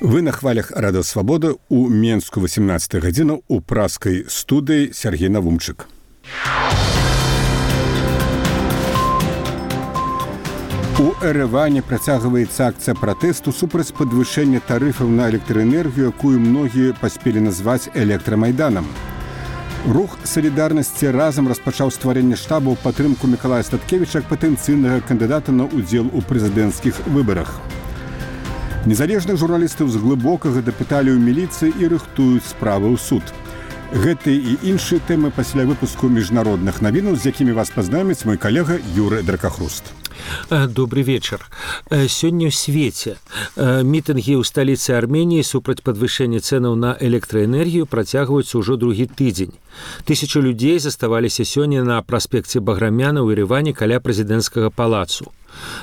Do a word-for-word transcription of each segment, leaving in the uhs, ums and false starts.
Вы на хвалях Радыё Свабода у Менску восемнадцатая гадзіна у праскай студыі Сергей Навумчык. У Эрэване працягваецца акцыя пратэсту супраць падвышэння тарыфаў на электраэнергію, якую многія паспелі назваць электрамайданам. Рух салідарнасці разам распачаў стварэнне штабу ў падтрымку Мікалая Статкевіча як патэнцыйнага кандыдата на ўдзел у прэзідэнцкіх выбарах. Незалежных журналістаў з глыбокага дапыталі ў міліцыі і рыхтуюць справы ў суд. Гэты і іншыя тэмы пасля выпуску міжнародных навінаў, з якімі вас пазнаёміць мой калега Юры Дракахруст. Добрый вечер. Сёння ў свеце мітынгі ў сталіцы Арменіі супраць падвышэння цэнаў на электраэнергію працягваюцца ўжо другі тыдзень. Тысячу людзей заставаліся сёння на праспекце Баграмяна ў Ерэване каля прэзідэнцкага палацу.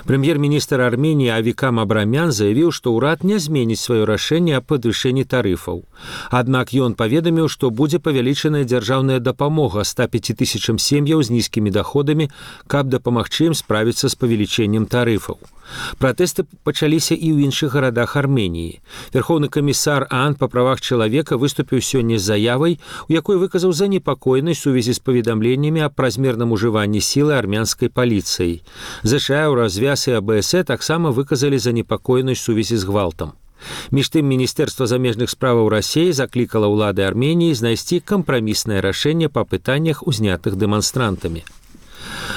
Прэм'ер-міністр Арменіі Авикам Абрамян заявіў, што ўрад не зменіць сваё рашэнне аб падвышэнні тарыфаў. Аднак ён паведаміў, што будзе павялічаная дзяржаўная дапамога ста пяці тысячам сем'яў з нізкімі даходамі, каб дапамагчы ім справіцца з павелічэннем тарыфаў. Пратэсты пачаліся і ў іншых гарадах Арменіі. Верхоўны камісар ААН па правах чалавека выступіў сёння з заявай, у якой выказаў занепакоенасць у сувязі з паведамленнямі аб празмерным ужыванні сілы армянскай паліцыяй. ЗША, развяз і АБС таксама выказалі занепакоенасць у сувязі з гвалтам. Між тым, Міністэрства замежных справаў Расіі заклікала ўлады Арменіі знайсці кампраміснае рашэнне па пытаннях, узнятых дэманстрантамі.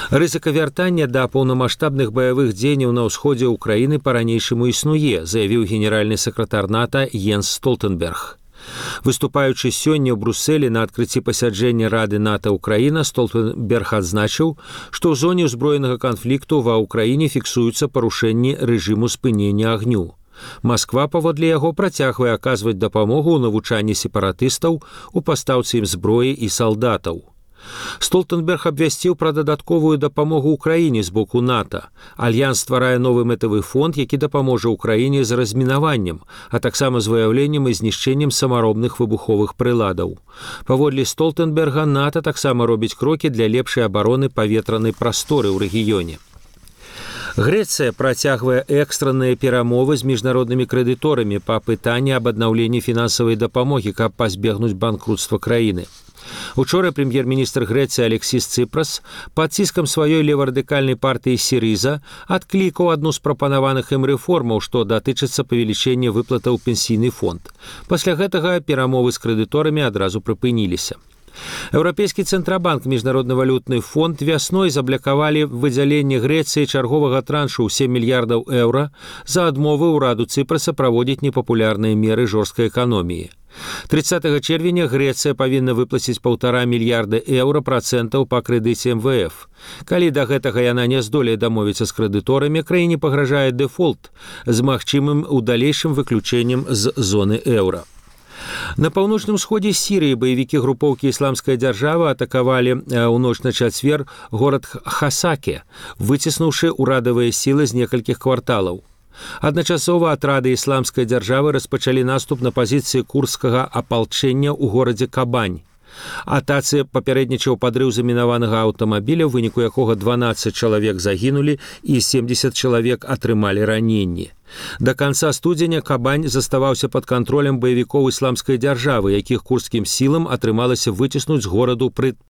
Рызыка вяртання да паўнамаштабных баявых дзеянняў на ўсходзе ўкраіны па-ранейшаму існуе, заявіў генеральны сакратар НАТО Йенс Столтенберг. Выступаючы сёння ў Брусэлі на адкрыцці пасяджэння Рады НАТО Украіна, Столтенберг адзначыў, што ў зоне ўзброенага канфлікту ва ўкраіне фіксуюцца парушэнні рэжыму спынення агню. Масква, паводле яго, працягвае аказваць дапамогу ў навучанні сепаратыстаў, у пастаўцы ім зброі і салдатаў. Столтенберг абвясціў пра дадатковую дапамогу ўкраіне з боку НАТО. Альянс стварае новы мэтавы фонд, які дапаможа ўкраіне з размінаваннем, а таксама з выяўленнем і знішчэннем самаробных выбуховых прыладаў. Паводле Столтенберга, НАТО таксама робіць крокі для лепшай абароны паветранай прасторы ў рэгіёне. Грэцыя працягвае экстранныя перамовы з міжнароднымі крэдыторамі па пытанні аб аднаўленні фінансавай дапамогі, каб пазбегнуць банкрутства краіны. Учора прэм'ер-міністр Грэцыі Алексіс Ципрас пад ціскам сваёй леварадыкальнай партыі Сірыза адклікаў адну з прапанаваных ім рэформаў, што датычыцца павелічэння выплатаў у пенсійны фонд. Пасля гэтага перамовы з крэдыторамі адразу прыпыніліся. Еўрапейскі цэнтрабанк, міжнародны валютны фонд вясной заблякавалі выдзяленне Грэцыі чарговага траншу ў сем мільярдаў еўра за адмовы ўраду Ципраса праводзіць непапулярныя меры жорсткай эканоміі. трыццатага чэрвеня Грэцыя павінна выплаціць паўтара мільярда еўра працэнтаў па крэдыце эм вэ эф. Калі да гэтага яна не здолее дамовіцца з крэдыторамі, краіне пагражае дэфолт з магчымым у далейшым выключэннем з зоны еўра. На паўночным сходзе Сірыі баевікі групоўкі «Ісламская дзяржава» атакавалі ў ноч на чацвер горад Хасаке, выціснуўшы ўрадавыя сілы з некалькіх кварталаў. Адначасова атрады «Ісламскай дзяржавы» распачалі наступ на пазіцыі курдскага апалчэння ў горадзе Кабань. Атацы папярэднічаў падрыў замінаванага аўтамабіля, у выніку якога дванаццаць чалавек загінулі і семдзесят чалавек атрымалі раненні. Да канца студзеня Кабань заставаўся пад кантролем баевікоў «Ісламскай дзяржавы», якіх курдскім сілам атрымалася выціснуць з гораду пры